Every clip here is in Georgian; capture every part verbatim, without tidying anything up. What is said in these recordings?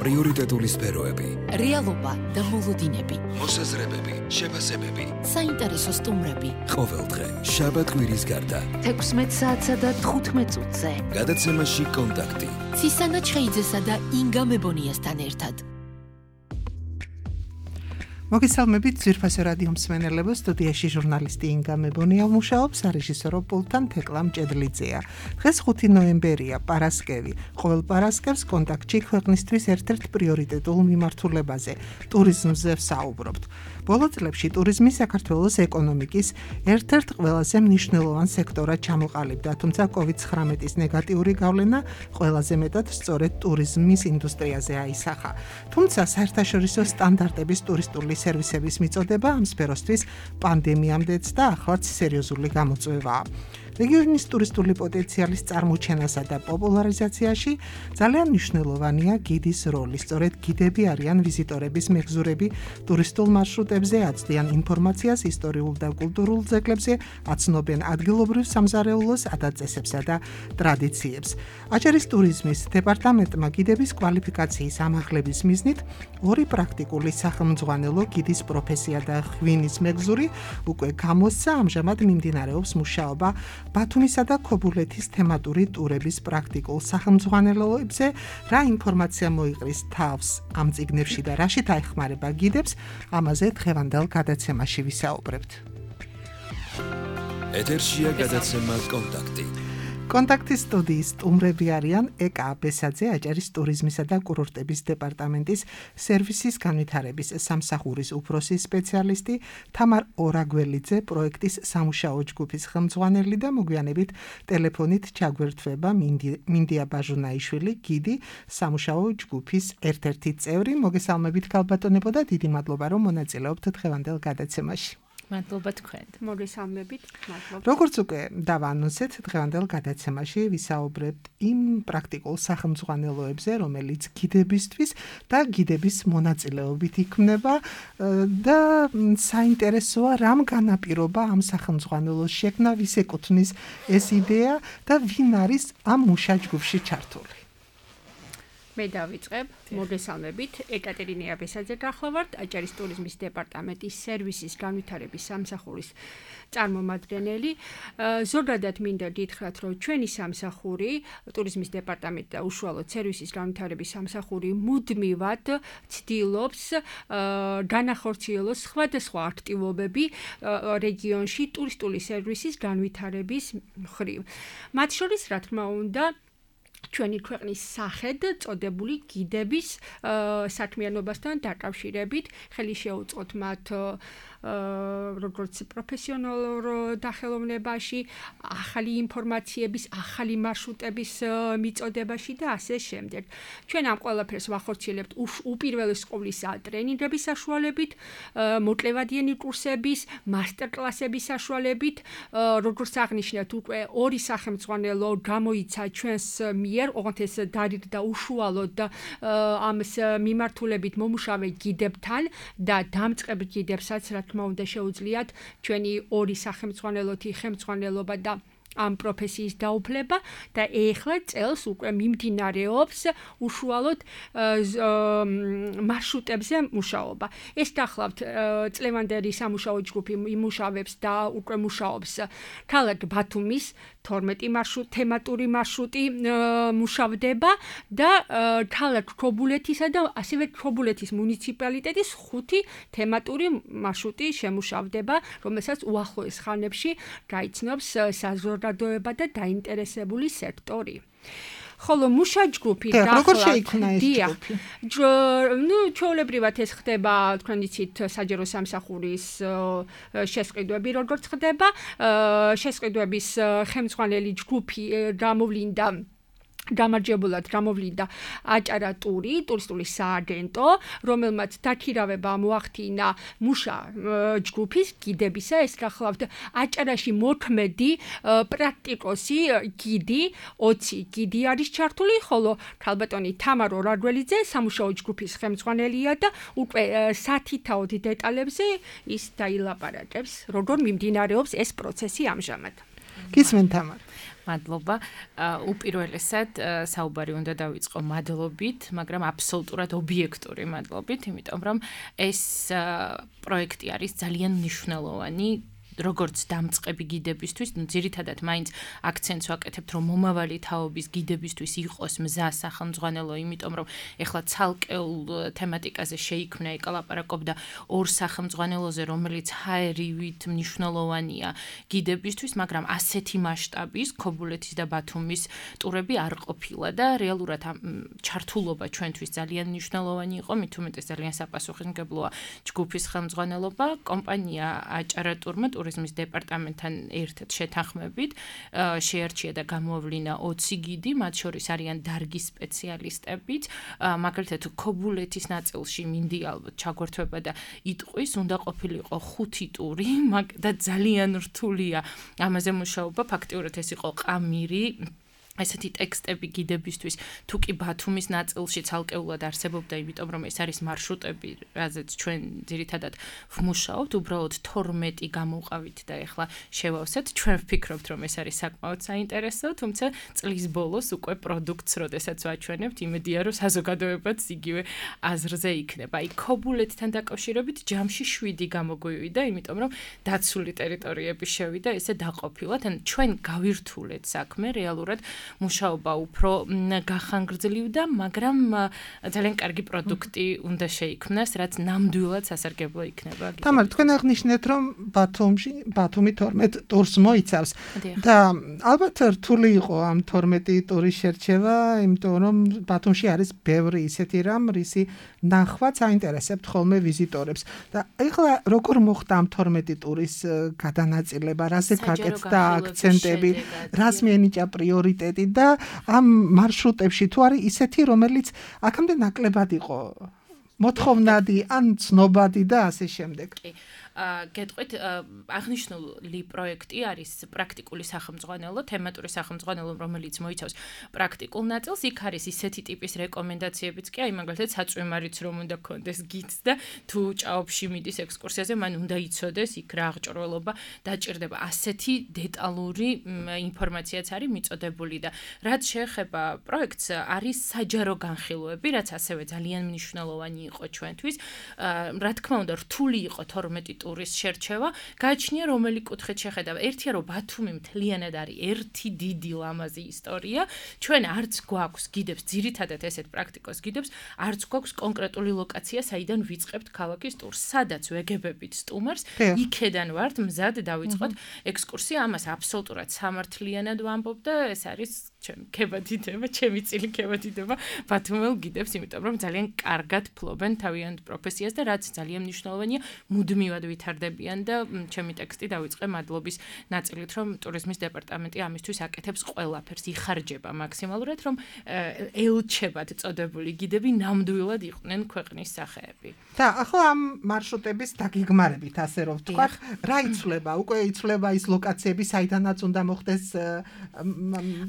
პრიორიტეტული სფეროები, რეალობა და მოლოდინები, მოსაზრებები, შეფასებები, საინტერესო სტუმრები. ყოველდღე შაბათ-კვირის გარდა თექვსმეტ საათსა და თხუთმეტ წუთზე. გადაცემაში კონტაქტი. ცისანა ჩხეიძესა და ინგა მებონიასთან ერთად. მოგესალმებით ძვირფასო რადიო მსმენელებო, სტუდიაში ჟურნალისტი ინგა მებონია მუშაობს, რეჟისორო პულტთან თეკლა მჭედლიძეა. დღეს ხუთი ნოემბერია, პარასკევი. ყოველ პარასკევს კონტაქტში ქვეყნისთვის ერთ-ერთ პრიორიტეტულ მიმართულებაზე, ტურიზმზე ვსაუბრობთ. ბოლო წლებში ტურიზმი საქართველოს ეკონომიკის ერთ-ერთ ყველაზე მნიშვნელოვან სექტორად ჩამოყალიბდა, თუმცა კოვიდ ცხრამეტის ნეგატიური გავლენა ყველაზე მეტად სწორედ ტურიზმის ინდუსტრიაზე აისახა. თუმცა საერთაშორისო სტანდარტების ტურისტული სერვისების მიწოდება ამ სფეროსთვის პანდემიამდეც და ახლაც სერიოზული გამოწვევაა. რეგიონის ტურისტული პოტენციალის წარმოჩენასა და პოპულარიზაციაში ძალიან მნიშვნელოვანია გიდის როლი. სწორედ გიდები არიან ვიზიტორების მეგზურები ტურისტულ მარშრუტებზე, აცდიან ინფორმაციას ისტორიულ და კულტურულ ძეგლებზე, აცნობენ ადგილობრივ სამზარეულოს ადაწესებსა და ტრადიციებს. აჭარის ტურიზმის დეპარტამენტმა გიდების კვალიფიკაციის ამაღლების მიზნით ორი პრაქტიკული სახელმძღვანელო გიდის პროფესია და ღვინის მეგზური უკვე გამოსცა, ამჟამად მიმდინარეობს მუშაობა ბათუმისა და ქობულეთის თემატური ტურების პრაქტიკულ სახელმძღვანელოებზე. რა ინფორმაცია მოიყრის თავს ამ წიგნებში და რაშიც აეხმარება გიდებს, ამაზე დღევანდელ გადაცემაში ვისაუბრებთ. ეთერშია გადაცემა კონტაქტი. კონტაქტის სტუდიის სტუმრები არიან ეკა აბესაძე, აჭარის ტურიზმისა და კურორტების დეპარტამენტის სერვისის განვითარების სამსახურის უფროსი სპეციალისტი, თამარ ორაგველიძე, პროექტის სამუშაო ჯგუფის ხელმძღვანელი და მოგვიანებით ტელეფონით ჩაგვერთვება მინდია ბაჟუნაიშვილი, გიდი, სამუშაო ჯგუფის ერთ-ერთი წევრი. მოგესალმებით ქალბატონებო და დიდი მადლობა, რომ მონაწილეობთ დღევანდელ გადაცემაში. მადლობა თქვენ. მოგესალმებით. მადლობა. როგორც უკვე დავანონსეთ, დღევანდელ გადაცემაში ვისაუბრებთ იმ პრაქტიკულ სახელმძღვანელოებზე, რომელიც გიდებისთვის და გიდების მონაწილეობით იქმნება და საინტერესოა, რამ განაპირობა ამ სახელმძღვანელოს შექმნა, ვის ეკუთვნის ეს იდეა და ვინ არის ამ მუშაჯგუფში ჩართული. მე დავიწყებ. მოგესალმებით. ეკატერინე აბესაძე გახლავართ, აჭარის ტურიზმის დეპარტამენტის სერვისის განვითარების სამსახურის წარმომადგენელი. ზოგადად მინდა გითხრათ, რომ ჩვენი სამსახური, ტურიზმის დეპარტამენტი და უშუალოდ სერვისის განვითარების სამსახური მუდმივად ცდილობს განახორციელოს სხვადასხვა აქტივობები რეგიონში ტურისტული სერვისის განვითარების მხრივ. მათ შორის, რა თქმა უნდა, ჩვენი ქვეყნის სახედ წოდებული გიდების საქმიანობასთან დაკავშირებით ხელი შეუწყოთ მათ როგორც პროფესიონალურ დახელოვნებაში, ახალი ინფორმაციების, ახალი მარშრუტების მიწოდებაში და ასე შემდეგ. ჩვენ ამ ყველაფერს ვახორციელებთ უპირველეს ყოვლისა ტრენინგების საშუალებით, მოკლევადიანი კურსების, მასტერკლასების საშუალებით, როგორც აღნიშნეთ, უკვე ორი სახელმძღვანელო გამოიცა ჩვენს მიერ, ოღონდ ეს დარიგდა უშუალოდ ამ მიმართულებით მომუშავე გიდებთან და დამწყებ გიდებსაც, რა თქმა უნდა შეუძლიათ ჩვენი ორი სახელმძღვანელოთი ხელმძღვანელობა და ამ პროფესიის დაუფლება და ეხლა წელს უკვე მიმდინარეობს უშუალოდ მარშრუტებზე მუშაობა. ეს გახლავთ წლევანდელი სამუშაო ჯგუფი იმუშავებს და უკვე მუშაობს ქალაქ ბათუმის თორმეტი მარშრუტი, თემატური მარშრუტი მუშავდება და ქალაქ ქობულეთისა და ასევე ქობულეთის მუნიციპალიტეტის ხუთი თემატური მარშრუტი შემუშავდება, რომელსაც უახლოეს ხანებში გაიცნობს საზოგადოება და დაინტერესებული სექტორი. ხოლო მუშაჯგუფი როგორ შეიქმნა ეს ჯგუფი? ნუ ჩვეულებრივად ეს ხდება, თქვენ იცით, საჯარო სამსახურის შესყიდვები როგორც ხდება, შესყიდვების ხელმძღვანელი ჯგუფი გამოვლინდა გამარჯვებულად გამოვლინდა აჭარა ტური, ტურისტული სააგენტო, რომელმაც დაქირავება მოახდინა მუშა ჯგუფის გიდებისა. ეს გახლავთ აჭარაში მოქმედი პრაქტიკოსი გიდი, ოცი გიდი არის ჩართული, ხოლო ქალბატონი თამარ ორაგველიძე სამუშაო ჯგუფის ხელმძღვანელია და უკვე სათითაოდ დეტალებზე ის დაილაპარაკებს, როგორ მიმდინარეობს ეს პროცესი ამჟამად. გისმენთ თამარ. მადლობა. უპირველესად საუბარი უნდა დავიწყო მადლობით, მაგრამ აბსოლუტურად ობიექტური მადლობით, იმიტომ რომ ეს პროექტი არის ძალიან მნიშვნელოვანი როგორც დამწყები გიდებისთვის, ну ძირითადად მაინც აქცენტს ვაკეთებთ, რომ მომავალი თაობის გიდებისთვის იყოს მზა სახელმძღვანელო, იმიტომ რომ ეხლა ცალკეულ თემატიკაზე შეიქმნა ეკალაპარაკობდა ორ სახელმძღვანელოზე, რომელიც ჰაერივით მნიშვნელოვანია გიდებისთვის, მაგრამ ასეთი მასშტაბის ქობულეთის და ბათუმის ტურები არ ყოფილა და რეალურად ჩართულობა ჩვენთვის ძალიან მნიშვნელოვანი იყო, მით უმეტეს ძალიან საპასუხისმგებლოა ჯგუფის ხელმძღვანელობა, კომპანია აჭარა ტურმა ტურიზმის დეპარტამენტთან ერთად შეთანხმებით შეარჩია და გამოავლინა ოცი გიდი, მათ შორის არიან დარგის სპეციალისტებიც, მაგალითად ქობულეთის ნაწილში მინდი ალბათ ჩაგვერთვება და იტყვის, უნდა ყოფილიყო ხუთი ტური და ძალიან რთულია ამაზე მუშაობა, ფაქტიურად ეს იყო ყამირი ესეთი ტექსტები გიდებისთვის, თუ კი ბათუმის ნაწილში ცალკეულად არსებობდა, იმიტომ რომ ეს არის მარშრუტები, რაზეც ჩვენ ძირითადად ვმუშაობთ, უბრალოდ თორმეტი გამოვყავით და ეხლა შევავსეთ, ჩვენ ვფიქრობთ, რომ ეს არის საკმაოდ საინტერესო, თუმცა წლის ბოლოს უკვე პროდუქტს, როდესაც ვაჩვენებთ, იმედია, რომ საზოგადოებაც იგივე აზრზე იქნება. აი, ქობულეთთან დაკავშირებით ჯამში შვიდი გამოგვივიდა, იმიტომ რომ დაცული ტერიტორიები შევიდა, ესე დაყოფილად, ან ჩვენ გავირთულეთ საქმე რეალურად მუშაობა უფრო გახანგრძლივდა, მაგრამ ძალიან კარგი პროდუქტი უნდა შეიქმნას, რაც ნამდვილად სასარგებლო იქნება. თამარ, თქვენ აღნიშნეთ, რომ ბათუმში, ბათუმი თორმეტ ტურს მოიცავს და ალბათ რთული იყო ამ თორმეტი ტურის შერჩევა, იმიტომ რომ ბათუმში არის ბევრი ისეთი რამ, რისი ნახვაც აინტერესებთ ხოლმე ვიზიტორებს. და ეხლა როგორ მოხდა ამ თორმეტი ტურის გადანაწილება, რაზე გაკეთდა აქცენტები, რას მიენიჭა პრიორიტეტი და ამ მარშრუტებში თუ არის ისეთი, რომელიც აქამდე ნაკლებად იყო მოთხოვნადი ან ცნობადი და ასე შემდეგ. გეტყვით, აღნიშნული პროექტი არის პრაქტიკული სახელმძღვანელო, თემატური სახელმძღვანელო, რომელიც მოიცავს პრაქტიკულ ნაწილს. იქ არის ისეთი ტიპის რეკომენდაციებიც კი, აი მაგალითად საწვიმარიც რომ უნდა გქონდეს გიდს და თუ ჭაობში მიდის ექსკურსიაზე, მან უნდა იცოდეს იქ რა აღჭურველობა დაჭირდება. ასეთი დეტალური ინფორმაციაც არის მიწოდებული და რაც შეეხება პროექტს, არის საჯარო განხილვები, რაც ასევე ძალიან მნიშვნელოვანი იყო ჩვენთვის. რა თქმა უნდა, რთული იყო თორმეტი ტურის შერჩევა, გააჩნია რომელი კუთხით შეხედა. ერთია რომ ბათუმი მთლიანად არის ერთი დიდი ლამაზი ისტორია. ჩვენ არც გვაქვს გიდებს, ძირითადად ესეთ პრაქტიკოს გიდებს, არც გვაქვს კონკრეტული ლოკაცია, საიდან ვიწყებთ ქალაქის ტურს. სადაც ვეგებებით სტუმარს, იქედან ვართ მზად დავიწყოთ ექსკურსია, ამას აბსოლუტურად სამართლიანად ვამბობ და ეს არის ჩემი ქებადიდება, ჩემი წილი ქებადიდება ბათუმელ გიდებს, იმიტომ რომ ძალიან კარგად ფლობენ თავიანთ პროფესიას და რაც ძალიან მნიშვნელოვანია, მუდმივად ვითარდებიან და ჩემი ტექსტი დავიწყე მადლობის ნაწილით, რომ ტურიზმის დეპარტამენტი ამისთვის აკეთებს ყველაფერს, იხარჯება მაქსიმალურად, რომ ელჩებად წოდებული გიდები ნამდვილად იყვნენ ქვეყნის სახეები. და ახლა ამ მარშრუტების დაგიგმარებით, ასე რომ ვთქვათ, რა იცვლება? უკვე იცვლება ის ლოკაციები, საიდანაც უნდა მოხდეს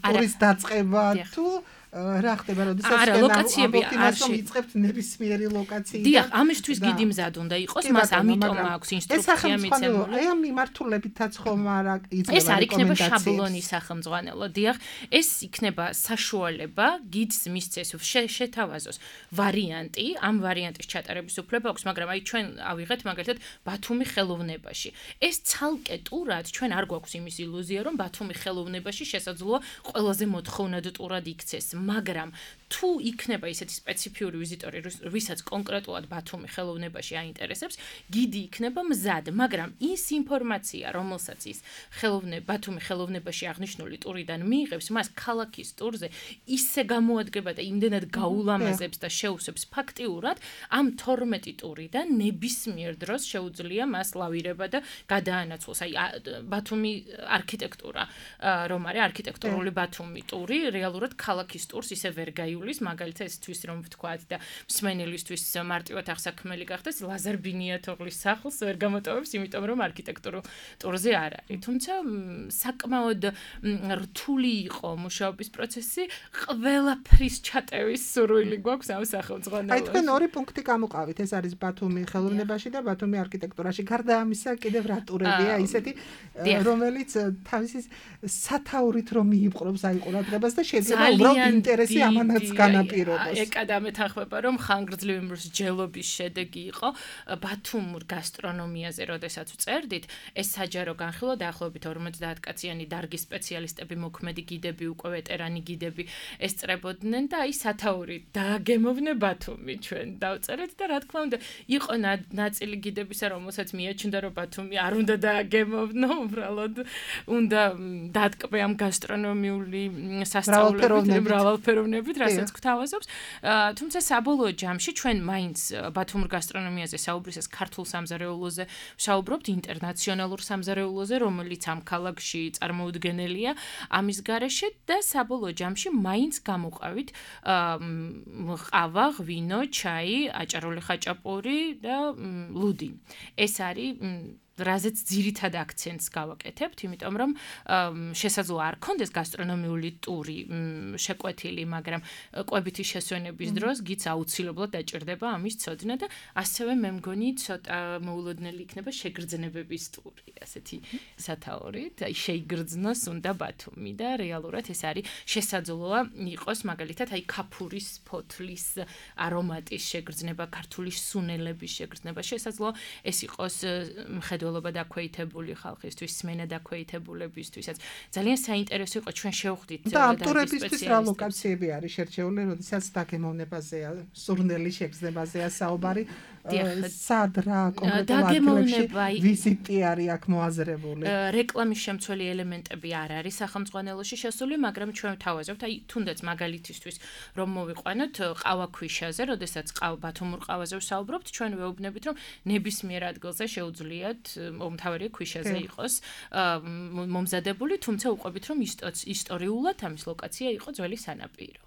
ტურის დაწყება თუ რა ხდება, როდესაც არა, ლოკაციები არ შეიწყებთ ნებისმიერი ლოკაციიდან. დიახ, ამისთვის გიდი მზად უნდა იყოს, მას ამიტომ აქვს ინსტრუქცია მიცემული. აი ამ მიმართულებითაც ხომ არა იძლევა ეს არ იქნება შაბლონი სახელმძღვანელო. დიახ, ეს იქნება საშუალება გიდს მისცეს შეთავაზოს ვარიანტი, ამ ვარიანტის ჩატარების უფლება აქვს, მაგრამ აი ჩვენ ავიღეთ მაგალითად ბათუმი ხელოვნებაში. ეს ცალკე ტურად ჩვენ არ გვაქვს იმის ილუზია, რომ ბათუმი ხელოვნებაში შესაძლოა ყველაზე მოთხოვნად ტურად იქცეს. მაგრამ თუ იქნება ისეთი სპეციფიური ვიზიტორი, ვისაც კონკრეტულად ბათუმი ხელოვნებაში აინტერესებს, გიდი იქნება მზად, მაგრამ ის ინფორმაცია, რომელსაც ის ხელოვნება ბათუმი ხელოვნებაში აღნიშნული ტურიდან მიიღებს, მას ქალაქის ტურზე ისე გამოადგება და იმდენად გაულამაზებს და შეუსებს ფაქტიურად, ამ თორმეტი ტურიდან ნებისმიერ დროს შეუძლია მას ლავირება და გადაანაცვლოს. აი ბათუმი არქიტექტურა, რომ არის არქიტექტურული ბათუმი ტური, რეალურად ქალაქის ტურს ისე ვერ გაივლებს გასulis, მაგალითად ესთვის რომ ვთქვათ და მსმენელისთვის მარტივად აღსაქმელი გახდეს, ლაზარ ბინიათოღლის სახლს ვერ გამოტოვებს, იმიტომ რომ არქიტექტურულ ტურზე არ არის. თუმცა საკმაოდ რთული იყო მუშაობის პროცესი, ყველაფრის ჩატევის სურვილი გვაქვს ამ სახელმძღვანელოში. აი თქვენ ორი პუნქტი გამოყავით, ეს არის ბათუმი ხელოვნებაში და ბათუმი არქიტექტურაში. გარდა ამისა, კიდევ რა ტურებია ისეთი, რომელიც თავისი სათაურით რომ მიიპყრობს აი ყურადღებას და შეიძლება უბრალოდ ინტერესი ამანაც განაპირობოს. ეკა დამეთანხმება, რომ ხანგრძლივი მსჯელობის შედეგი იყო ბათუმურ გასტრონომიაზე, როდესაც ვწერდით, ეს საჯარო განხილვა დაახლოებით ორმოცდაათ კაციანი დარგის სპეციალისტები, მოქმედი გიდები, უკვე ვეტერანი გიდები ესწრებოდნენ და აი სათაურით დააგემოვნე ბათუმი ჩვენ დავწერეთ და რა თქმა უნდა, იყო ნაწილი გიდებისა, რომელსაც მიაჩნდა, რომ ბათუმი არ უნდა დააგემოვნო, უბრალოდ უნდა დატკბე ამ გასტრონომიული სასწავლებლებით, მრავალფეროვნებით, რასაც გვთავაზობს. თუმცა საბოლოო ჯამში ჩვენ მაინც ბათუმურ გასტრონომიაზე საუბრისას ქართულ სამზარეულოზე ვსაუბრობთ, ინტერნაციონალურ სამზარეულოზე, რომელიც ამ ქალაქში წარმოუდგენელია ამის გარეშე და საბოლოო ჯამში მაინც გამოყავით ყავა, ღვინო, ჩაი, აჭარული ხაჭაპური და ლუდი. ეს არის რაზეც ძირითად აქცენტს გავაკეთებთ, იმიტომ რომ შესაძლოა არ ქონდეს გასტრონომიული ტური შეკვეთილი, მაგრამ კვებითი შესვენების დროს გიც აუცილებლად დაჭირდება ამის ცოდნა და ასევე მე მგონი ცოტა მოულოდნელი იქნება შეგრძნებების ტური, ასეთი სათაურით, აი შეიგრძნოს უნდა ბათუმი და რეალურად ეს არის შესაძლოა იყოს მაგალითად აი ქაფურის ფოთლის არომატის შეგრძნება, ქართული სუნელების შეგრძნება, შესაძლოა ეს იყოს მხედველობა დაქვეითებული ხალხისთვის, სმენა დაქვეითებულებისთვისაც. ძალიან საინტერესო იყო ჩვენ შევხვდით და ავტორებისთვის რა ლოკაციები არის შერჩეული, როდესაც დაგემოვნებაზეა, სურნელი შეგრძნებაზეა საუბარი, სად რა კონკრეტულ ადგილებში ვიზიტი არის აქ მოაზრებული. რეკლამის შემცველი ელემენტები არ არის სახელმძღვანელოში შესული, მაგრამ ჩვენ ვთავაზობთ, აი თუნდაც მაგალითისთვის რომ მოვიყვანოთ ყავაქვიშაზე, როდესაც ბათუმურ ყავაზე ვსაუბრობთ, ჩვენ ვეუბნებით, რომ ნებისმიერ ადგილზე შეუძლიათ მომთავრე ქვიშაზე იყოს მომზადებული, თუმცა უყვებით, რომ ისტორიულად ამის ლოკაცია იყო ძველი სანაპირო.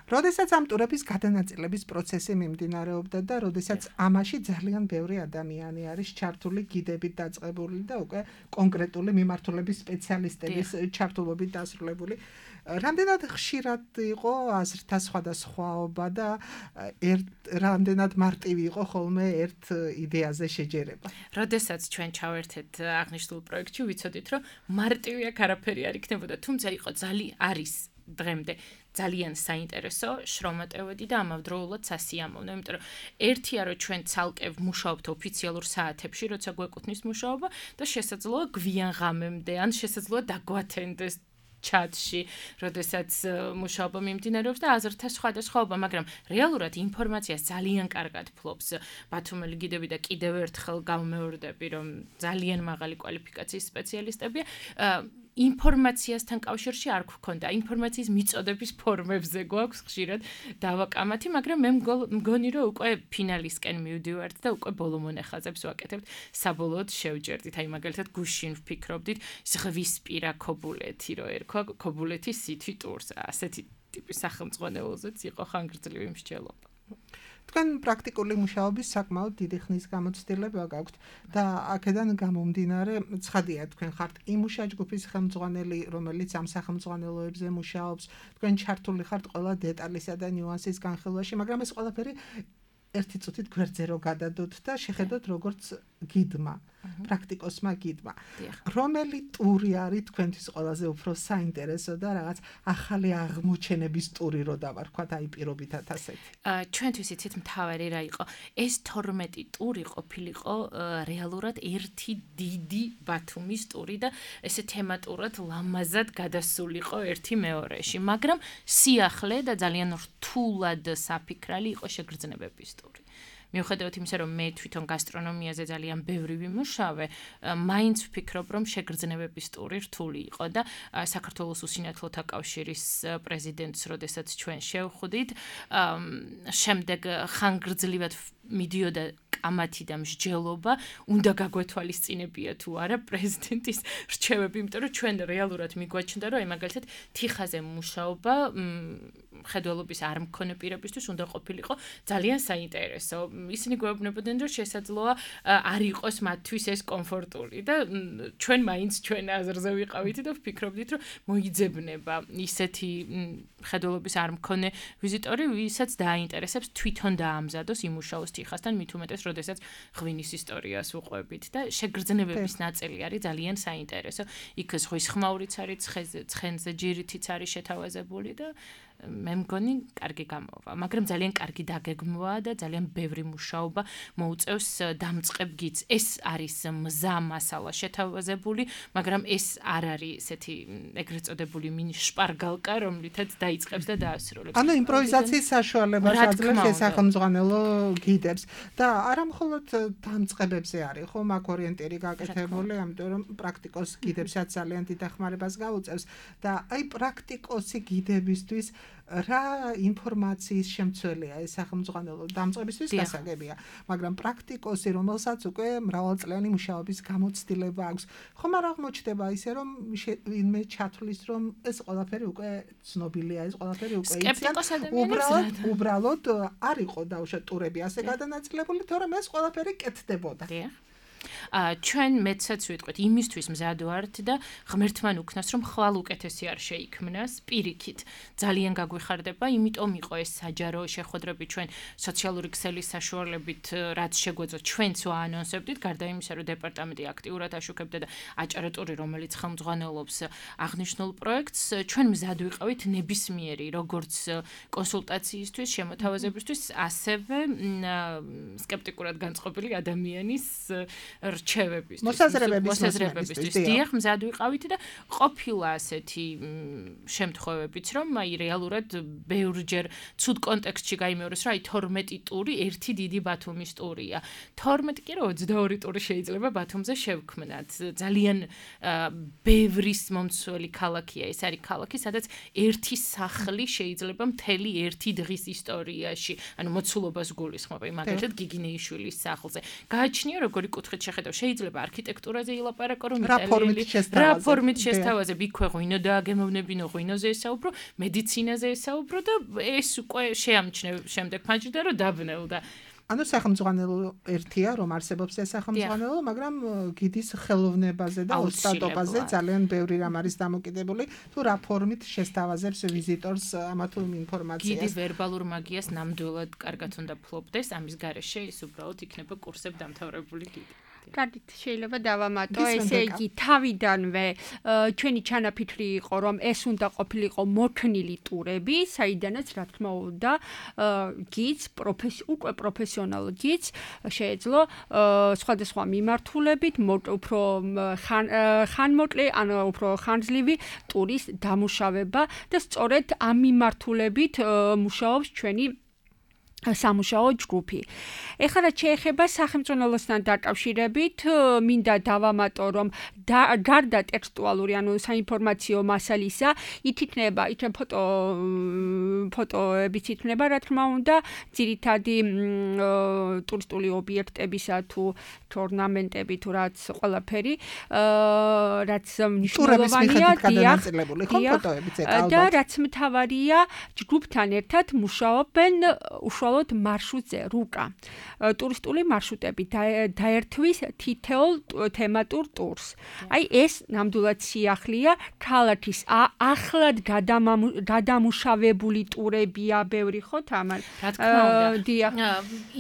როდესაც ამ ტურების გადანაწილების პროცესი მიმდინარეობდა და როდესაც ამაში ძალიან ბევრი ადამიანი არის ჩართული, გიდებით დაწყებული და უკვე კონკრეტული მიმართულების სპეციალისტების ჩართულობით დასრულებული, რამდენად ხშირად იყო აზრთა სხვადასხვაობა და რამდენად მარტივი იყო ხოლმე ერთ იდეაზე შეჯერება. როდესაც ჩვენ ჩავერთეთ აღნიშნულ პროექტში, ვიცოდით, რომ მარტივი აქ არაფერი არ იქნებოდა, თუმცა იყო ძალიან არის დღემდე ძალიან საინტერესო, შრომატევადი და ამავდროულად სასიამოვნო, იმიტომ რომ ერთია რომ ჩვენ ცალკე ვმუშაობთ ოფიციალურ საათებში, როცა გვეკუთვნის მუშაობა და შესაძლოა გვიან ღამემდე ან შესაძლოა დაგვათენდეს ჩატში, როდესაც მუშაობა მიმდინარეობს და აზრთა სხვადასხვაობა, მაგრამ რეალურად ინფორმაციას ძალიან კარგად ფლობს ბათუმელი გიდები და კიდევ ერთხელ გავმეორდები, რომ ძალიან მაღალი კვალიფიკაციის სპეციალისტებია. ინფორმაციასთან კავშირში არ გვქონდა, ინფორმაციის მიწოდების ფორმებზე გვაქვს ხშირად დავაკამათი, მაგრამ მე მგონი რომ უკვე ფინალისკენ მივდივართ და უკვე ბოლო მონახაზებს ვაკეთებთ, საბოლოოდ შევჯერდით, აი მაგალითად გუშინ ვფიქრობდით ზღვისპირა ქობულეთი რო ერქვა, ქობულეთის სითი ტურს, ასეთი ტიპის სახელმძღვანელოზეც იყო ხანგრძლივი მსჯელობა. თქვენ პრაქტიკული მუშაობის საკმაოდ დიდი ხნის გამოცდილება გაქვთ და აქედან გამომდინარე, ცხადია, თქვენ ხართ იმუშა ჯგუფის ხელმძღვანელი, რომელიც ამ სახელმძღვანელოებზე მუშაობს, თქვენ ჩართული ხართ ყველა დეტალისა და ნიუანსის განხილვაში, მაგრამ ეს ყველაფერი ერთი წუთით გვერდზე რო გადადოთ და შეხედოთ როგორც გიდმა, პრაქტიკოსმა გიდმა. რომელი ტური არის თქვენთვის ყველაზე უფრო საინტერესო და რაღაც ახალი აღმოჩენების ტური რო დავარქვათ, აი პირობითად ასეთი. ჩვენთვის იცით მთავარი რა იყო? ეს თორმეტი ტური ყოფილიყო რეალურად ერთი დიდი ბათუმის ტური და ესე თემატურად ლამაზად გადასულიყო ერთი მეორეში, მაგრამ სიახლე და ძალიან რთულად საფიქრალი იყო შეგრძნებების ტური. მიუხედავად იმისა, რომ მე თვითონ გასტრონომიაზე ძალიან ბევრი ვიმუშავე, მაინც ვფიქრობ, რომ შეგრძნებების ტური რთული იყო და საქართველოს უსინათლოთა კავშირის პრეზიდენტს, როდესაც ჩვენ შევხვდით, შემდეგ ხანგრძლივად მიდიოდა კამათი და მსჯელობა, უნდა გაგვეთვალისწინებია თუ არა პრეზიდენტის რჩევები, იმიტომ რომ ჩვენ რეალურად მიგვაჩნდა, რომ აი მაგალითად თიხაზე მუშაობა მხედველობის არ მქონე პირებისთვის უნდა ყოფილიყო ძალიან საინტერესო. ისინი გვეუბნებოდნენ, რომ შესაძლოა არ იყოს მათთვის ეს კომფორტული და ჩვენ მაინც ჩვენ აზრზე ვიყავით და ვფიქრობდით, რომ მოიძებნება ისეთი მხედველობის არ მქონე ვიზიტორი, ვისაც დააინტერესებს თვითონ დაამზადოს იმუშაოს თიხასთან, მით უმეტეს, როდესაც ღვინის ისტორიას უყვებით და შეგრძნებების ნაწილი არის ძალიან საინტერესო. იქ ზღვის ხმაურიც არის, ცხენზე ჯირითიც არის შეთავაზებული და მე მგონი კარგი გამოვა, მაგრამ ძალიან კარგი დაგეგმვაა და ძალიან ბევრი მუშაობა მოუწევს დამწყებ გიდს. ეს არის მზა მასალა შეთავაზებული, მაგრამ ეს არ არის ესეთი ეგრეთ წოდებული მინი შპარგალკა, რომლითაც დაიწყებს და დაასრულებს. ანუ იმპროვიზაციის საშუალებას აძლევს სახელმძღვანელო გიდებს და არა მხოლოდ დამწყებებზე არის, ხო, მაგ ორიენტირი გაკეთებული, ამიტომ რომ პრაქტიკოს გიდებსაც ძალიან დიდ დახმარებას გაუწევს და აი პრაქტიკოსი გიდებისთვის რა ინფორმაციის შემცველია ეს სახელმძღვანელო დამწყებისთვის გასაგებია, მაგრამ პრაქტიკოსი, რომელსაც უკვე მრავალწლიანი მუშაობის გამოცდილება აქვს, ხომ არ აღმოჩნდება ისე, რომ ვინმე ჩათვლის, რომ ეს ყველაფერი უკვე ცნობილია, ეს ყველაფერი უკვე იციან, უბრალოდ უბრალოდ არ იყო დაუშვათ ტურები ასე გადანაწილებული, თორემ ეს ყველაფერი კეთდებოდა. აა ჩვენ მეცაც ვიტყვით იმისთვის მზად ვართ და ღმერთმან უქნას რომ ხვალ უკეთესი არ შეიქმნას პირიქით ძალიან გაგვიხარდება იმიტომ იყო ეს საჯარო შეხვედრები ჩვენ სოციალური ქსელის საშუალებით რაც შეგვეძლო ჩვენც ვაანონსებდით გარდა იმისა რომ დეპარტამენტი აქტიურად აშუქებდა და აჭარა ტური რომელიც ხელმძღვანელობს აღნიშნულ პროექტს ჩვენ მზად ვიყავით ნებისმიერი როგორც კონსულტაციისთვის შემოთავაზებისთვის ასევე სკეპტიკურად განწყობილი ადამიანის რჩევებისთვის, მოსაზრებებისთვის, დიახ, მზად ვიყავით და ყოფილა ასეთი შემთხვევებიც, რომ აი რეალურად ბევრჯერ ცუდ კონტექსტში გაიმეორეს, რომ აი თორმეტი ტური ერთი დიდი ბათუმის ტურია. თორმეტი კი რა ოცდაორი ტური შეიძლება ბათუმზე შევქმნათ. ძალიან ბევრის მომცველი ქალაქია, ეს არის ქალაქი, სადაც ერთი სახლი შეიძლება მთელი ერთი დღის ისტორიაში, ანუ მოცულობას გულისხმობა, მაგალითად გიგინეიშვილის სახლზე. გააჩნია როგორი კუთხით შეხედავ, შეიძლება არქიტექტურაზე ilaparaco, რომ რა ფორმით შესთავაზებ, იქვე ღვინო დააგემოვნებინო, ღვინოზე ესაუბრო, მედიცინაზე ესაუბრო და ეს უკვე შეამჩნევ შემდეგ ფანჯრიდან რომ დაბნევდა. ანუ სახელმძღვანელო ერთია, რომ არსებობს ეს სახელმძღვანელო, მაგრამ გიდის ხელოვნებაზე და ოსტატობაზე ძალიან ბევრი რამ არის დამოკიდებული, თუ რა ფორმით შესთავაზებს ვიზიტორს ამა თუ იმ ინფორმაციას. გიდი ვერბალურ მაგიას ნამდვილად კარგად უნდა ფლობდეს, ამის გარეშე ის უბრალოდ იქნება კურსებ დამთავრებული გიდი. კარგით, შეიძლება დავამატო, ესე იგი თავიდანვე ჩვენი ჩანაფიქრი იყო, რომ ეს უნდა ყოფილიყო მოქნილი ტურები, საიდანაც რა თქმა უნდა გიდს, უკვე პროფესიონალ გიდს შეეძლო სხვადასხვა მიმართულებით, უფრო ხანმოკლე, ანუ უფრო ხანძლივი ტურის დამუშავება და სწორედ ამ მიმართულებით მუშაობს ჩვენი სამუშაო ჯგუფი. ეხლა რაც შეეხება სახელმწიფოსთან დაკავშირებით, მინდა დავამატო, რომ გარდა ტექსტუალური, ანუ საინფორმაციო მასალისა, ითითნება, იქნებ ფოტო ფოტოებიც ითნება, რა თქმა უნდა, ძირითადი ტურისტული ობიექტებისა თუ ორნამენტები თუ რაც ყველაფერი, რაც მნიშვნელოვანია, და რაც მთავარია, ჯგუფთან ერთად მუშაობენ უშუალოდ მარშრუტზე, რუკა. ტურისტული მარშრუტები დაერთვის თითოეულ თემატურ ტურს. აი ეს ნამდვილად სიახლეა, ქალაქის ახლად გადამუშავებული ტურებია ბევრი, ხო, თამარ? რა თქმა უნდა.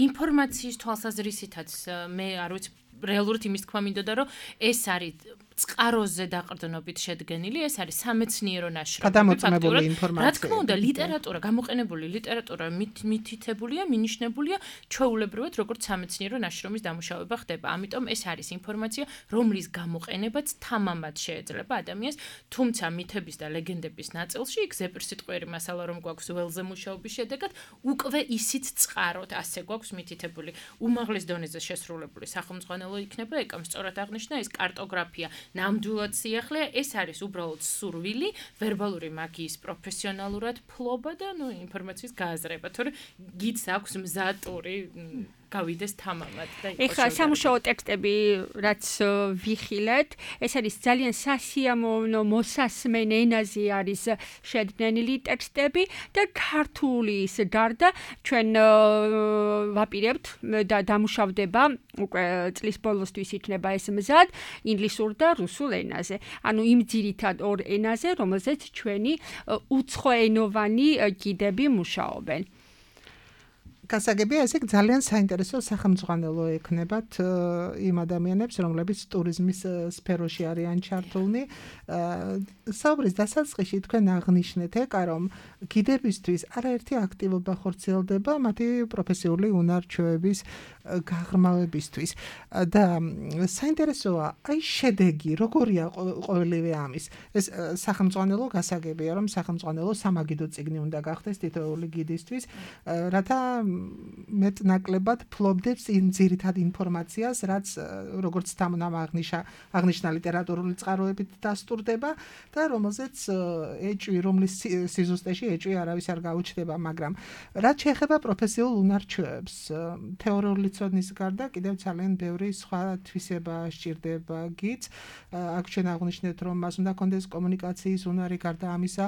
ინფორმაციის თვალსაზრისითაც მე არ ვიცი რეალურად იმის თქვა მინდოდა, რომ ეს არის წყაროზე დაყრდნობით შედგენილი, ეს არის სამეცნიერო ნაშრომი. გადამოწმებული ინფორმაცია. რა თქმა უნდა, ლიტერატურა, გამოყენებული ლიტერატურა მითითებულია, მინიშნებულია ჩვეულებრივად, როგორც სამეცნიერო ნაშრომის დამუშავება ხდება. ამიტომ ეს არის ინფორმაცია, რომლის გამოყენებაც თამამად შეეძლება ადამიანს, თუმცა მითების და ლეგენდების ნაწილში, იქ ზეპირსიტყვიერი მასალა რომ გვაქვს ველზე მუშაობის შედეგად, უკვე ისიც წყაროდ ასე გვაქვს მითითებული. უმაღლეს დონეზე შესრულებული სახელმძღვანელო იქნება, ეკამ სწორად აღნიშნა ეს კარტოგრაფია. ნამდვილად სიახლეა, ეს არის უბრალოდ სურვილი, ვერბალური მაგიის პროფესიონალურად ფლობა და ნუ ინფორმაციის გააზრება, თორე გიდს აქვს მზა ტური გავიდეს თამამად და ეხლა სამუშაო ტექსტები რაც ვიხილეთ, ეს არის ძალიან სასიამოვნო მოსასმენ ენაზე არის შედგენილი ტექსტები და ქართულის გარდა ჩვენ ვაპირებთ და დამუშავდება უკვე წლის ბოლოსთვის იქნება ეს მზად ინგლისურ და რუსულ ენაზე. ანუ იმ ძირითად ორ ენაზე, რომელზეც ჩვენი უცხოენოვანი გიდები მუშაობენ. გასაგებია, ესე ძალიან საინტერესო სახელმძღვანელო ექნებათ იმ ადამიანებს, რომლებიც ტურიზმის სფეროში არიან ჩართულნი. საუბრის დასაწყისში თქვენ აღნიშნეთ ეკა, რომ გიდებისთვის არაერთი აქტივობა ხორციელდება მათი პროფესიული უნარჩვევების გაღრმავებისთვის. და საინტერესოა, აი შედეგი, როგორია ყოველივე ამის. ეს სახელმძღვანელო გასაგებია, რომ სახელმძღვანელო სამაგიდო წიგნი უნდა გახდეს თითოეული გიდისთვის, რათა მეტნაკლებად ფლობდებს იმ ძირითად ინფორმაციას, რაც როგორც თამამ აღნიშნა, აღნიშნა ლიტერატურული წყაროებით დასტურდება და რომელზეც ეჭვი, რომლის სიზუსტეში ეჭვი არავის არ გაუჩნდება, მაგრამ რაც შეეხება პროფესიულ უნარჩვევებს, თეორიული ცოდნის გარდა კიდევ ძალიან ბევრი სხვა თვისება სჭირდება გიც. აქ ჩვენ აღნიშნეთ, რომ მას უნდა კონდეს კომუნიკაციის უნარი, გარდა ამისა,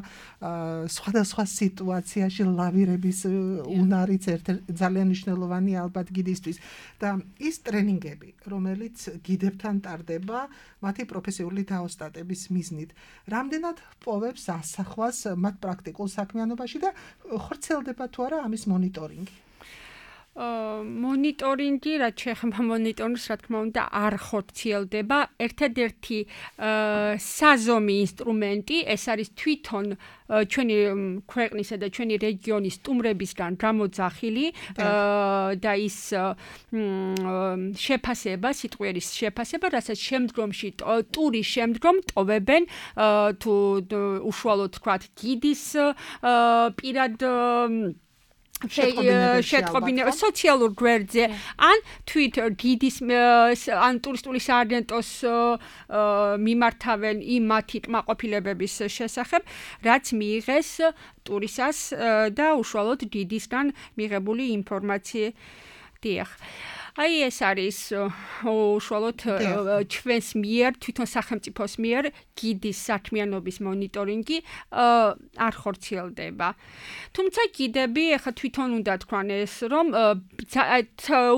სხვადასხვა სიტუაციაში ლავირების უნარიც ერთ ძალიან მნიშვნელოვანი ალბათ გიდისთვის და ის ტრენინგები, რომელიც გიდებთან ტარდება მათი პროფესიული დაოსტატების მიზნით, რამდენად პოვებს ასახვას მათ პრაქტიკულ საქმიანობაში და ხორციელდება თუ არა ამის მონიტორინგი? მონიტორინგი, რაც შეეხება მონიტორინგს, რა თქმა უნდა, არ ხორციელდება. ერთადერთი საზომი ინსტრუმენტი, ეს არის თვითონ ჩვენი ქვეყნისა და ჩვენი რეგიონის სტუმრებისგან გამოძახილი და ის შეფასება, სიტყვიერის შეფასება, რასაც შემდგომში ტურის შემდგომ ტოვებენ თუ უშუალოდ თქვათ გიდის პირად შეტყობინება სოციალურ გვერდზე ან თვით გიდის ან ტურისტული სააგენტოს მიმართავენ იმ მათი კმაყოფილებების შესახებ, რაც მიიღეს ტურისას და უშუალოდ გიდისგან მიღებული ინფორმაცია. დიახ. აი ეს არის უშუალოდ ჩვენს მიერ, თვითონ სახელმწიფოს მიერ გიდის საქმიანობის მონიტორინგი არ ხორციელდება. თუმცა გიდები ახლა თვითონ უნდა თქვან ეს, რომ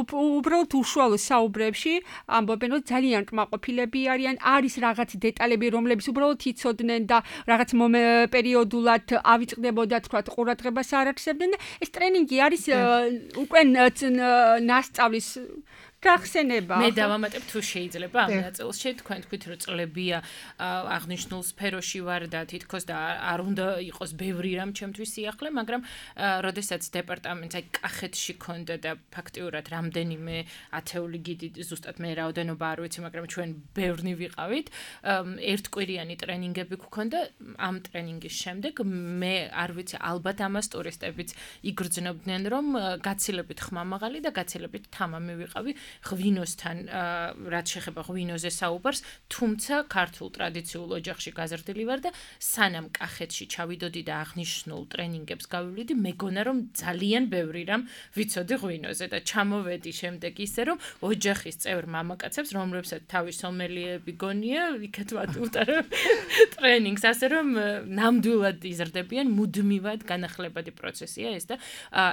უბრალოდ უშუალო საუბრებში ამბობენ, რომ ძალიან კმაყოფილები არიან, არის რაღაც დეტალები, რომლებიც უბრალოდ იცოდნენ და რაღაც პერიოდულად ავიწყდებოდა, თქვათ, ყურადღებას არ აქცევდნენ და ეს ტრენინგი არის უკვე ნასწავლის გახსენება. მე დავამატებ თუ შეიძლება ამ ნაწილში, თქვენ თქვით რომ წლებია აღნიშნულ სფეროში ვარ და თითქოს და არ უნდა იყოს ბევრი რამ ჩემთვის სიახლე, მაგრამ როდესაც დეპარტამენტს აი კახეთში ქონდა და ფაქტიურად რამდენიმე ათეული გიდი, ზუსტად მე რაოდენობა არ ვიცი, მაგრამ ჩვენ ბევრნი ვიყავით, ერთკვირიანი ტრენინგები გქონდა. ამ ტრენინგის შემდეგ მე არ ვიცი, ალბათ ამას ტურისტებიც იგრძნობდნენ, რომ გაცილებით ხმამაღალი და გაცილებით თამამი ვიყავი ღვინოსთან, რაც შეეხება ღვინოზე საუბარს, თუმცა ქართულ ტრადიციულ ოჯახში გაზრდილი ვარ და სანამ კახეთში ჩავიდოდი და აღნიშნულ ტრენინგებს გავივლიდი, მეგონა რომ ძალიან ბევრი რამ ვიცოდი ღვინოზე და ჩამოვედი შემდეგ ისე რომ ოჯახის წევრ მამაკაცებს, რომლებსაც თავის სომელიები გონია, იქეთ ვატარებ ტრენინგს, ასე რომ ნამდვილად იზრდებიან, მუდმივად განახლებადი პროცესია ეს და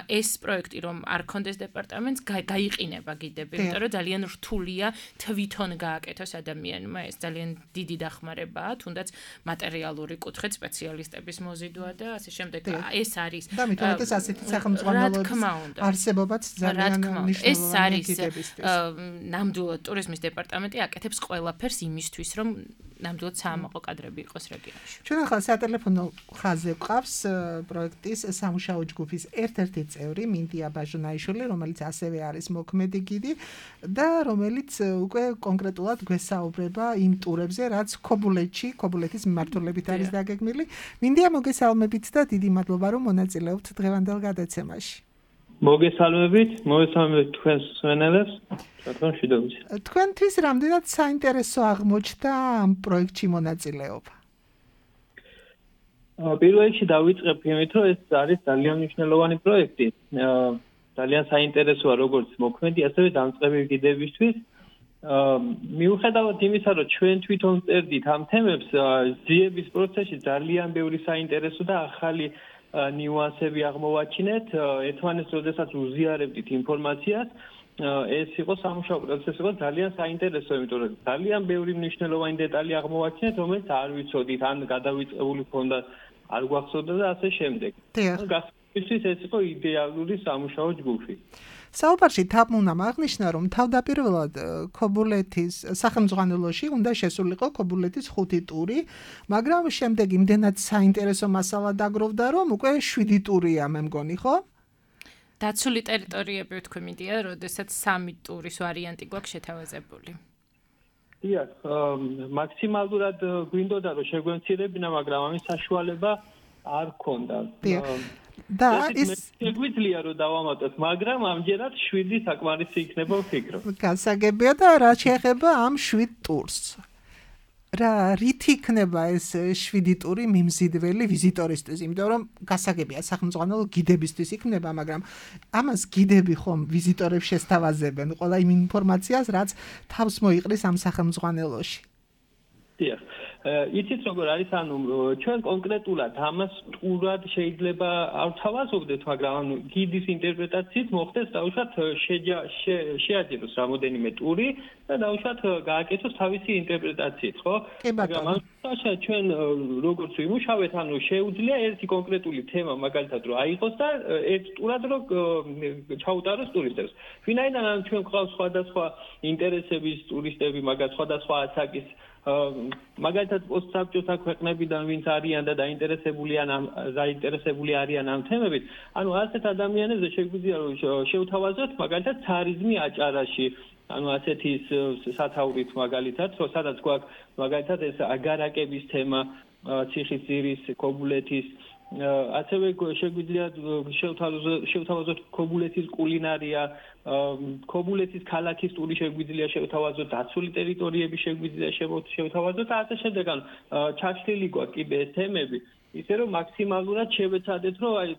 ეს პროექტი რომ არ ქონდეს დეპარტამენტს, გაიყინება გიდები. იმიტომ რომ ძალიან რთულია თვითონ გააკეთოს ადამიანმა, ეს ძალიან დიდი დახმარებაა, თუნდაც მატერიალური კუთხით სპეციალისტების მოზიდვა და ასე შემდეგ. ეს არის და მithomete ასეთი სახელმძღვანელოების არსებობაც ძალიან მნიშვნელოვანია გიდებისთვის. ნამდვილად ტურიზმის დეპარტამენტი აკეთებს ყველაფერს იმისთვის, რომ ნამდვილად საამაყო კადრები იყოს რეგიონში. ჩვენ ახლა სატელეფონო ხაზზე გვყავს პროექტის სამუშაო ჯგუფის ერთ-ერთი წევრი მინდია ბაჟუნაიშვილი, რომელიც ასევე არის მოქმედი გიდი და რომელიც უკვე კონკრეტულად გვესაუბრება იმ ტურებზე, რაც ქობულეთში, ქობულეთის მიმართულებით არის დაგეგმილი. მინდია მოგესალმებით და დიდი მადლობა რომ მონაწილეობთ დღევანდელ გადაცემაში. მოგესალმებით, მოგესალმებით თქვენს მსმენელებს, თქვენ შედოვის. თქვენთვის რამდენად საინტერესო აღმოჩნდა ამ პროექტში მონაწილეობა? პირველ რიგში დავიწყებ იმით, რომ ეს არის ძალიან მნიშვნელოვანი პროექტი. ძალიან საინტერესოა როგორც მოქმედი, ასევე დამწყები გიდებისთვის. მიუხედავად იმისა, რომ ჩვენ თვითონ წერდით ამ თემებს, ზიების პროცესში ძალიან ბევრი საინტერესო და ახალი ნიუანსები აღმოვაჩინეთ. ერთმანეთს როდესაც უზიარებდით ინფორმაციას, ეს იყო სამუშაო პროცესი, იყო ძალიან საინტერესო, იმიტომ რომ ძალიან ბევრი მნიშვნელოვანი დეტალი აღმოვაჩინეთ, რომელიც არ ვიცოდით, ან გადავიწყებული ქონდა, არ გვახსოვდა და ასე შემდეგ. გასაგებია, ეს იყო იდეალური სამუშაო ჯგუფი. საუბარში თამუნამ აღნიშნა, რომ თავდაპირველად ქობულეთის სახელმძღვანელოში უნდა შესულიყო ქობულეთის ხუთი ტური, მაგრამ შემდეგ იმდენად საინტერესო მასალა დაგროვდა, რომ უკვე შვიდი ტურია, მე მგონი, ხო? დაცული ტერიტორიები ვთქვი მიდია, როდესაც სამი ტურის ვარიანტი გვაქვს შეთავაზებული. დიახ, მაქსიმალურად გვინდოდა რომ შეგვემცირებინა, მაგრამ ამის საშუალება არ ქონდა. და ის შეგვიძლია რომ დავამატოთ, მაგრამ ამჯერად შვიდი საკმარისი იქნება ვფიქრობ. გასაგებია და რა შეეხება ამ შვიდ ტურს. რა რით იქნება ეს შვიდი ტური მიმზიდველი ვიზიტორისთვის, იმიტომ რომ გასაგებია სახელმძღვანელო გიდებისთვის იქნება, მაგრამ ამას გიდები ხომ ვიზიტორებს შესთავაზებენ ყველა იმ ინფორმაციას, რაც თავს მოიყრის ამ სახელმძღვანელოში. დიახ. იცით როგორ არის, ანუ ჩვენ კონკრეტულად ამას ტურად შეიძლება არ თავაზობდეთ, მაგრამ ანუ გიდის ინტერპრეტაციით მოხდეს დაუშვათ შეაჯეროს რამოდენიმე ტური და დაუშვათ გააკეთოს თავისი ინტერპრეტაციით, ხო? მაგრამ ამაში ჩვენ როგორც ვიმუშავეთ, ანუ შეუძლია ერთი კონკრეტული თემა მაგალითად რომ აიღოს და ერთ ტურად რომ ჩაუტაროს ტურისტებს. ვინაიდან ანუ ჩვენ გვყავს სხვადასხვა ინტერესების ტურისტები, მაგალითად სხვადასხვა ასაკის მაგალითად პოსტსაბჭოთა ქვეყნებიდან ვინც არიან და დაინტერესებულიან ამ დაინტერესებული არიან ამ თემებით, ანუ ასეთ ადამიანებზე შეგვიძლია რომ შევთავაზოთ მაგალითად ცარიზმი აჭარაში, ანუ ასეთი სათაურით მაგალითად, რომ სადაც გვაქვს მაგალითად ეს აგარაკების თემა, ციხისძირის, ქობულეთის, ასევე შეგვიძლია შევთავაზოთ ქობულეთის კულინარია, ქობულეთის ქალაქის ტური შეგვიძლია შევთავაზოთ, დაცული ტერიტორიები შეგვიძლია შევთავაზოთ და ასე შემდეგ. ანუ ჩაშლილი გვაქვს კიდე ეს თემები, ისე რომ მაქსიმალურად შევეცადეთ, რომ აი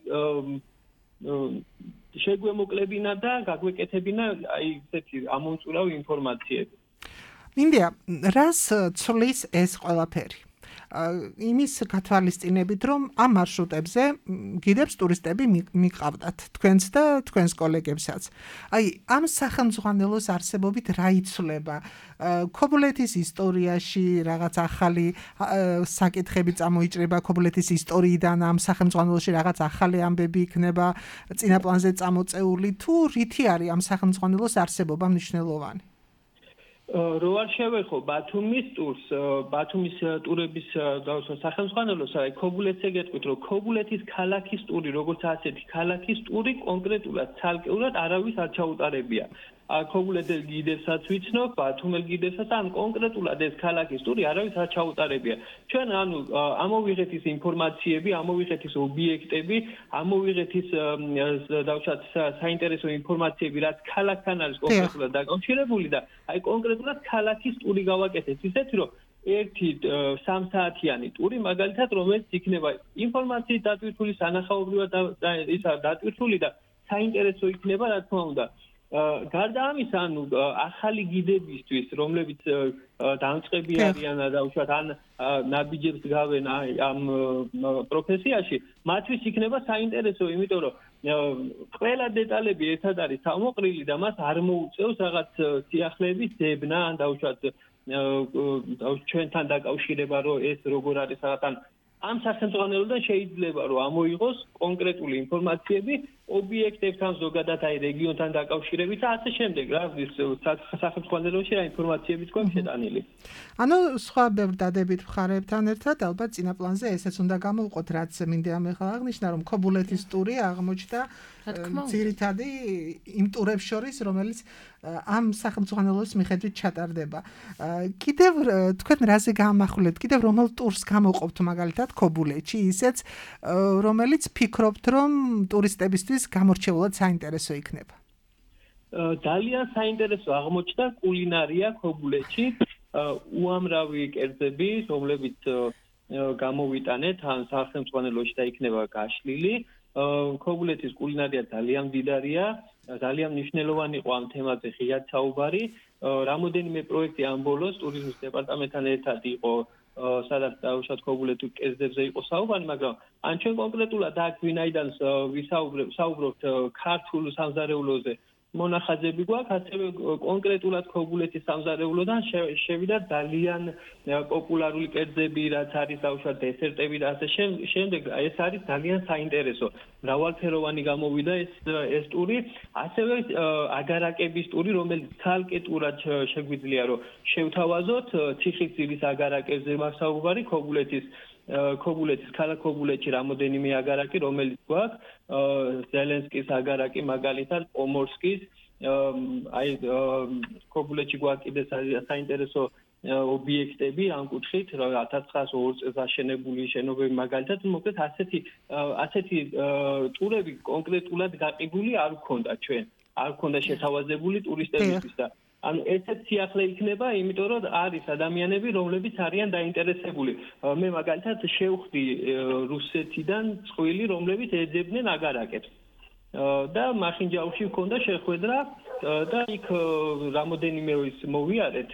შეგვემოკლებინა და გაგვეკეთებინა აი ესეთი ამომწურავი ინფორმაციები. მინდია, რას ცვლის ეს ყველაფერი? იმის გათვალისწინებით, რომ ამ მარშრუტებზე გიდებს ტურისტები მიყავდათ, თქვენც და თქვენს კოლეგებსაც. აი, ამ სახელმძღვანელოს არსებობით რა იცვლება? ქობულეთის ისტორიაში რაღაც ახალი საკითხები წამოიჭრება ქობულეთის ისტორიიდან, ამ სახელმძღვანელოში რაღაც ახალი ამბები იქნება წინა პლანზე წამოწეული, თუ რითი არის ამ სახელმძღვანელოს არსებობა მნიშვნელოვანი? რო არ შევეხო ბათუმის ტურს, ბათუმის ტურების სახელმძღვანელოს, აი ქობულეთზე გეტყვით, რომ ქობულეთის ქალაქის ტური, როგორც ასეთი ქალაქის ტური კონკრეტულად ცალკეულად არავის არ ჩაუტარებია. ქობულეთის გიდებსაც ვიცნობ, ბათუმელ გიდებსაც, ან კონკრეტულად ეს ქალაქის ტური არავის არ ჩაუტარებია. ჩვენ ანუ ამოვიღეთ ის ინფორმაციები, ამოვიღეთ ის ობიექტები, ამოვიღეთ ის დავუშვათ საინტერესო ინფორმაციები, რაც ქალაქთან არის კონკრეტულად დაკავშირებული და აი კონკრეტულად ქალაქის ტური გავაკეთეთ, ისეთი რომ ერთი სამსაათიანი ტური მაგალითად, რომელიც იქნება ინფორმაციით დატვირთული, სანახაობრივად ისა დატვირთული და საინტერესო იქნება, რა თქმა უნდა. გარდა ამისა, ანუ ახალი გიდებისთვის, რომლებიც დამწყები არიან და უშუალოდ ან ნაბიჯებს გავენ ამ პროფესიაში, მათთვის იქნება საინტერესო, იმიტომ რომ ყველა დეტალები ერთად არის თავმოყრილი და მას არ მოუწევს რაღაც სიახლეების ძებნა, ან დაუშვათ ჩვენთან დაკავშირება, რომ ეს როგორ არის რაღაც ამ სახელმძღვანელოდან შეიძლება რომ ამოიღოს კონკრეტული ინფორმაციები ობიექტებთან, ზოგადად აი რეგიონთან დაკავშირებით და ასე შემდეგ, რა ის სახელმძღვანელოში რა ინფორმაციებიც გვაქვს შეტანილი. ანუ სხვა ბევრ დადებით მხარეებთან ერთად ალბათ წინა პლანზე ესეც უნდა გამოვყოთ, რაც მინდა ახლა აღნიშნა, რომ ქობულეთის ტური აღმოჩნდა ძირითადი იმ ტურებს შორის, რომელიც ამ სახელმძღვანელოს მიხედვით ჩატარდება. კიდევ თქვენ რაზე გაამახვილეთ, კიდევ რომელ ტურს გამოყოფთ მაგალითად ქობულეთში, ისეც რომელიც ფიქრობთ, რომ ტურისტებისთვის გამორჩეულად საინტერესო იქნება. ძალიან საინტერესო აღმოჩნდა კულინარია ქობულეთში, უამრავი კერძები, რომლებიც გამოვიტანეთ ან სახელმძღვანელოში და იქნება გაშლილი ქობულეთის კულინარია ძალიან მდიდარია, ძალიან მნიშვნელოვანი იყო ამ თემაზე ღიად საუბარი. რამოდენიმე პროექტი ამ ბოლოს ტურიზმის დეპარტამენტთან ერთად იყო სადაც დაუშვათ ქობულეთის კერძებზე იყო საუბარი, მაგრამ ან ჩვენ კონკრეტულად აქ ვინაიდან ვისაუბრებთ ქართულ სამზარეულოზე მონახაზები გვაქვს, ასევე კონკრეტულად ქობულეთის სამზარეულოდან შევიდა ძალიან პოპულარული კერძები, რაც არის დაუშვათ დესერტები და ასე შემდეგ. ეს არის ძალიან საინტერესო. მრავალფეროვანი გამოვიდა ეს ეს ტური, ასევე აგარაკების ტური, რომელიც ცალკე ტურად შეგვიძლია რომ შევთავაზოთ ციხისძირის აგარაკებზე მაქვს საუბარი, ქობულეთის ქობულეთის ქალაქ ქობულეთში რამოდენიმე აგარაკი, რომელიც გვაქვს, ზელენსკის აგარაკი, მაგალითად, პომორსკის, აი ქობულეთში გვაქვს კიდე საინტერესო ობიექტები ამ კუთხით, ათას ცხრაასა ორ წელს აშენებული შენობები, მაგალითად, მოკლედ ასეთი ასეთი ტურები კონკრეტულად გაყიდული არ ვქონდა ჩვენ, არ ვქონდა შეთავაზებული ტურისტებისთვის და ანუ ესეც სიახლე იქნება, იმიტომ რომ არის ადამიანები, რომლებიც არიან დაინტერესებული. მე მაგალითად შევხვდი რუსეთიდან წყვილი, რომლებიც ეძებდნენ აგარაკებს. და მახინჯაურში მქონდა შეხვედრა და იქ რამოდენიმე ის მოვიარეთ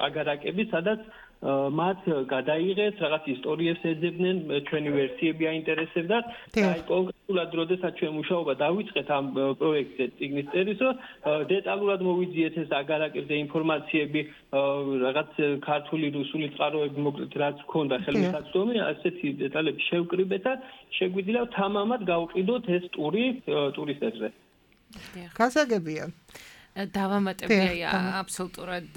აგარაკები, სადაც მათ გადაიღეს რაღაც ისტორიებს ეძებდნენ, ჩვენი ვერსიები აინტერესებდათ და აი კონკრეტულად როდესაც ჩვენ მუშაობა დავიწყეთ ამ პროექტზე წიგნის წერისო, დეტალურად მოვიძიეთ ეს აგარაკებზე ინფორმაციები, რაღაც ქართული, რუსული წყაროები, მოკლედ რაც ჰქონდა ხელმისაწვდომი, ასეთი დეტალები შევკრიბეთ და შეგვიძლია თამამად გავყიდოთ ეს ტური ტურისტებზე. გასაგებია. დავამატებია აბსოლუტურად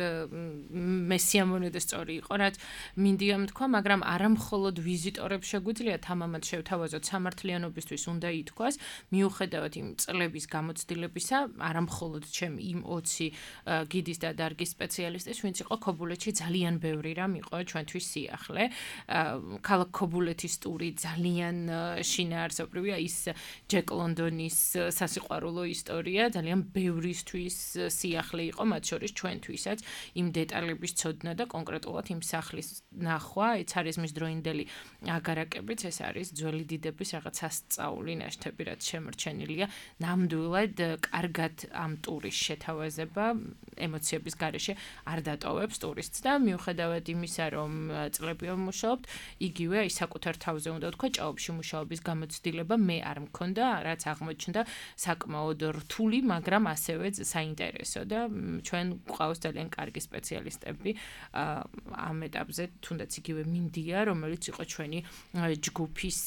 მე სიამოვნე და სწორი იყო, რაც მინდიამ თქვა, მაგრამ არა მხოლოდ ვიზიტორებს შეგვიძლია თამამად შევთავაზოთ სამართლიანობისთვის უნდა ითქვას, მიუხედავად იმ წლების გამოცდილებისა, არა მხოლოდ ჩემ იმ ოცი გიდის და დარგის სპეციალისტის, ვინც იყო ქობულეთში ძალიან ბევრი რამ იყო ჩვენთვის სიახლე. ქალაქ ქობულეთის ტური ძალიან შინაარსობრივია, ის ჯეკ ლონდონის სასიყვარულო ისტორია, ძალიან ბევრისთვის სიახლე იყო, მათ შორის ჩვენთვისაც იმ დეტალების ცოდნა და კონკრეტულად იმ სახლის ნახვა, ეცარიზმის დროინდელი აგარაკებიც, ეს არის ძველი დიდების რაღაც სასწაული ნაშთები, რაც შემორჩენილია. ნამდვილად კარგად ამ ტურის შეთავაზება ემოციების გარეშე არ დატოვებს ტურისტს და მიუხედავად იმისა, რომ წლები ვმუშაობთ, იგივე აი საკუთარ თავზე უნდა ვთქვა, ჭაობში მუშაობის გამოცდილება მე არ მქონდა, რაც აღმოჩნდა საკმაოდ რთული, მაგრამ ასევე საინტერესო და ჩვენ გვყავს ძალიან კარგი სპეციალისტები ამ ეტაპზე, თუნდაც იგივე მინდია, რომელიც იყო ჩვენი ჯგუფის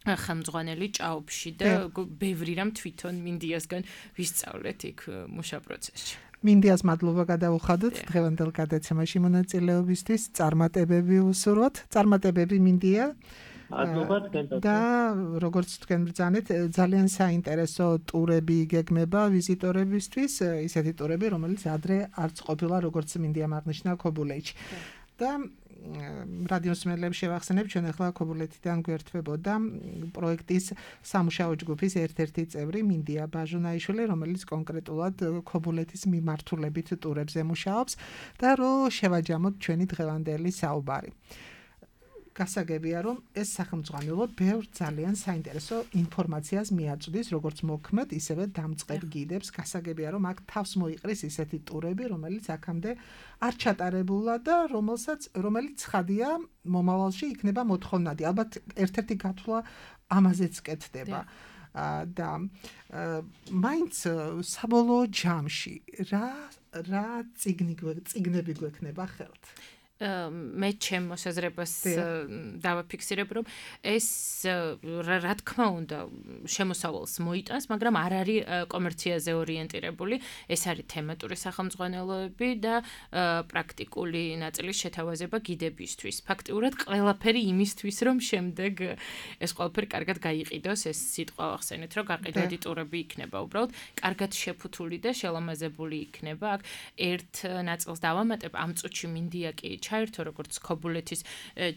ხელმძღვანელი ჭაობში და ბევრი რამ თვითონ მინდიასგან ვისწავლეთ იქ მუშა პროცესში. მინდიას მადლობა გადაუხადოთ დღევანდელ გადაცემაში მონაწილეობისთვის, წარმატებები უსურვოთ, წარმატებები მინდია. და როგორც თქვენ ბრძანეთ, ძალიან საინტერესო ტურები გეგმება ვიზიტორებისთვის, ისეთი ტურები, რომელიც ადრე არც ყოფილა, როგორც მინდიამ აღნიშნა ქობულეთში. და რადიოს მსმენელებს შევახსენებ, ჩვენ ახლა ქობულეთიდან გვერდებოდა პროექტის სამუშაო ჯგუფის ერთ-ერთი წევრი მინდია ბაჟუნაიშვილი, რომელიც კონკრეტულად ქობულეთის მიმართულებით ტურებზე მუშაობს და რომ შევაჯამოთ ჩვენი დღევანდელი საუბარი. გასაგებია, რომ ეს სახელმძღვანელო ბევრ ძალიან საინტერესო ინფორმაციას მიაწვდის, როგორც მოქმედ, ისევე დამწყებ გიდებს. გასაგებია, რომ აქ თავს მოიყრის ისეთი ტურები, რომელიც აქამდე არ ჩატარებულა და რომელსაც რომელიც ცხადია, მომავალში იქნება მოთხოვნადი. ალბათ ერთ-ერთი გათვლა ამაზეც კეთდება. და მაინც საბოლოო ჯამში რა რა წიგნები გვექნება ხელთ? მე ჩემ მოსაზრებას დავაფიქსირებ, რომ ეს რა თქმა უნდა შემოსავალს მოიტანს, მაგრამ არ არის კომერციაზე ორიენტირებული. ეს არის თემატური სახელმძღვანელოები და პრაქტიკული ნაწილის შეთავაზება გიდებისთვის. ფაქტიურად ყველაფერი იმისთვის, რომ შემდეგ ეს ყველაფერი კარგად გაიყიდოს, ეს სიტყვა ახსენეთ, რომ გაყიდვადი ტურები იქნება უბრალოდ კარგად შეფუთული და შელამაზებული იქნება. აქ ერთ ნაწილს დავამატებ, ამ წუთში მინდია კი ჩაერთო როგორც ქობულეთის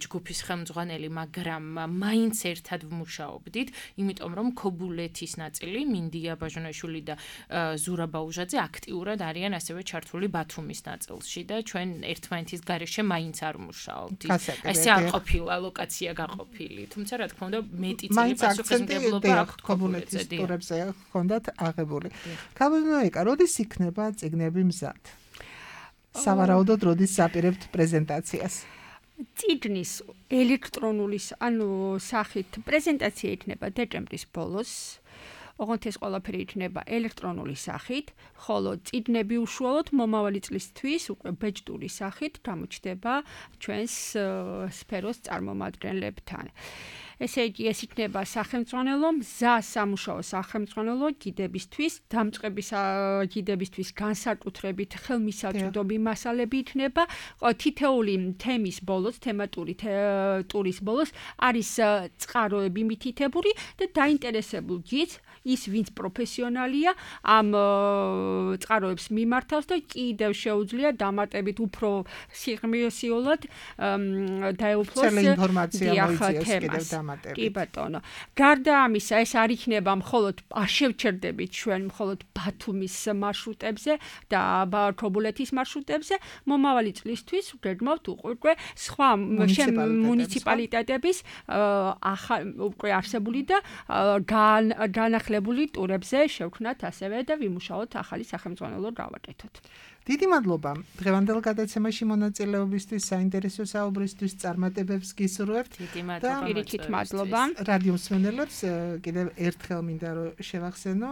ჯგუფის ხელმძღვანელი, მაგრამ მაინც ერთად ვმუშაობდით, იმიტომ რომ ქობულეთის ნაწილი მინდია ბაჟანაშვილი და ზურაბ ბაუჟაძე აქტიურად არიან ასევე ჩართული ბათუმის ნაწილში და ჩვენ ერთმანეთის გარეშე მაინც არ ვმუშაობდით. ესე არ ყოფილა ლოკაცია გაყოფილი, თუმცა რა თქმა უნდა მეტი წილი პასუხისმგებლობა აქვს ქობულეთის ტურებზე ჰქონდათ აღებული. ქაბუნოიკა, როდის იქნება წიგნები მზად? სავარაუდოდ როდის საპირებთ პრეზენტაციას? წიგნის ელექტრონული, ანუ სახით პრეზენტაცია იქნება დეკემბრის ბოლოს. ოღონდ ეს ყველაფერი იქნება ელექტრონული სახით, ხოლო წიგნები უშუალოდ მომავალი წლისთვის უკვე ბეჭდური სახით გამოჩნდება ჩვენს სფეროს წარმომადგენლებთან. ესე იგი, ეს იქნება სახელმძღვანელო მზა სამუშაო სახელმძღვანელო გიდებისთვის, დამწყების გიდებისთვის განსაკუთრებით ხელმისაწვდომი მასალები იქნება. თითეული თემის ბოლოს, თემატური ტურის ბოლოს არის წყაროები მითითებული და დაინტერესებულ გიდს ის ვინც პროფესიონალია ამ წყაროებს მიმართავს და კიდევ შეუძლია დამატებით უფრო სიღრმისეულად დაეუფლოს ინფორმაცია მოიწიოს კიდევ დამატებით. კი ბატონო. გარდა ამისა, ეს არ იქნება მხოლოდ შევჩერდებით ჩვენ მხოლოდ ბათუმის მარშრუტებზე და ქობულეთის მარშრუტებზე, მომავალი წლისთვის გეგმავთ უკვე სხვა მუნიციპალიტეტების უკვე არსებული და განახლებული ტურებზე შევქმნათ ასევე და ვიმუშაოთ ახალი სახელმძღვანელო გავაკეთოთ. დიდი მადლობა დღევანდელ გადაცემაში მონაწილეობისთვის, საინტერესო საუბრისთვის, წარმატებებს გისურვებთ. დიდი მადლობა. პირიქით მადლობა. რადიო მსმენელებს კიდევ ერთხელ მინდა რომ შევახსენო,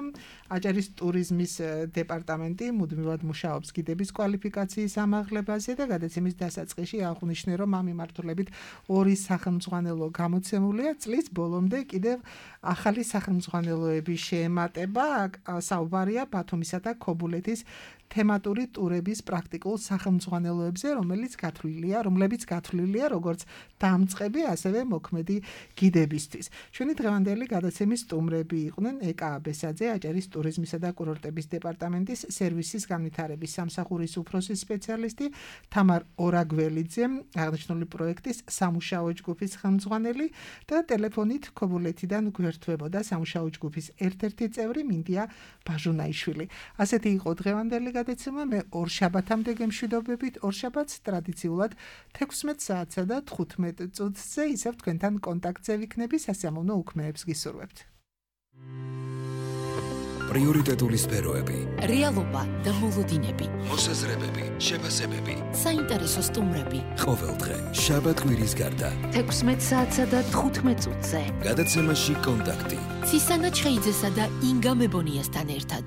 აჭარის ტურიზმის დეპარტამენტი მუდმივად მუშაობს გიდების კვალიფიკაციის ამაღლებაზე და გადაცემის დასაწყისში აღვნიშნე, რომ ამ მიმართულებით ორი სახელმძღვანელო გამოცემულია. წლის ბოლომდე კიდევ ახალი სახელმძღვანელოები შეემატება, საუბარია ბათუმისა და ქობულეთის თემატური ტურების პრაქტიკულ სახელმძღვანელოებზე, რომელიც გათვლილია, რომლებიც გათვლილია როგორც დამწყები, ასევე მოქმედი გიდებისთვის. ჩვენი დღევანდელი გადაცემის სტუმრები იყვნენ ეკა აბესაძე, აჭარის ტურიზმისა და კურორტების დეპარტამენტის სერვისის განვითარების სამსახურის უფროსი სპეციალისტი, თამარ ორაგველიძე, აღნიშნული პროექტის სამუშაო ჯგუფის ხელმძღვანელი და ტელეფონით ქობულეთიდან გვერდთვებოდა სამუშაო ჯგუფის ერთ-ერთი წევრი მინდია ბაჟუნაიშვილი. ასეთი იყო დღევანდელი გადაცემა. მე ორ შაბათამდე გემშვიდობებით. ორ შაბათს ტრადიციულად თექვსმეტ საათსა და თხუთმეტ წუთზე ისევ თქვენთან კონტაქტზე ვიქნები. სასიამოვნო უქმეებს გისურვებთ. პრიორიტეტული სფეროები, რეალობა და მოლოდინები, მოსაზრებები, შეფასებები, საინტერესო სტუმრები. ყოველდღე შაბათ-კვირის გარდა თექვსმეტ საათსა და თხუთმეტ წუთზე. გადაცემაში კონტაქტი. ცისანა ჩხეიძესა და ინგა მებონიასთან ერთად.